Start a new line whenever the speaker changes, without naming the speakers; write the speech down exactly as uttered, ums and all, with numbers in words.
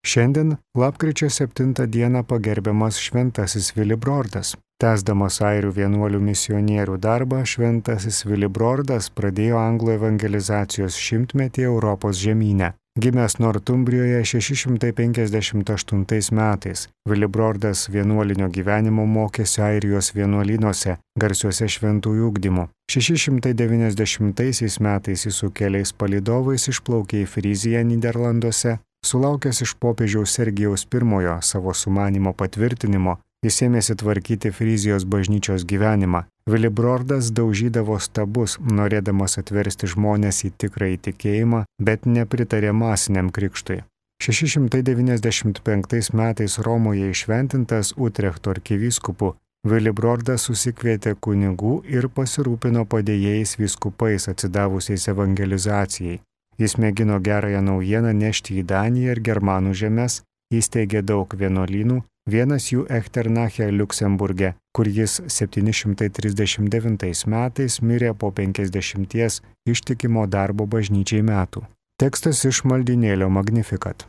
Šiandien, lapkričio septintą dieną, pagerbiamas šventasis Vilibrordas. Tęsdamas airių vienuolių misionierių darbą, šventasis Vilibrordas pradėjo anglų evangelizacijos šimtmetį Europos žemyne. Gimęs Nortumbrijoje šeši šimtai penkiasdešimt aštuntais metais, Vilibrordas vienuolinio gyvenimo mokėsi Airijos vienuolynuose, garsiuose šventųjų ugdymu. šeši šimtai devyniasdešimtaisiais metais jis su keliais palydovais išplaukė į Friziją Nyderlanduose. Sulaukęs iš popiežiaus Sergijaus pirmojo savo sumanymo patvirtinimo, jis ėmėsi tvarkyti Frizijos bažnyčios gyvenimą. Vilibrordas daužydavo stabus, norėdamas atversti žmones į tikrąjį tikėjimą, bet nepritarė masiniam krikštui. šeši šimtai devyniasdešimt penktais metais Romoje išventintas Utrechto arkivyskupu, Vilibrordas susikvietė kunigų ir pasirūpino padėjėjais vyskupais atsidavusiais evangelizacijai. Jis mėgino gerąją naujieną nešti į Daniją ir Germanų žemes, įsteigė daug vienuolynų, vienas jų Echternache Liuksemburge, kur jis septyni šimtai trisdešimt devintais metais mirė po penkiasdešimties ištikimo darbo bažnyčiai metų. Tekstas iš maldynėlio Magnificat.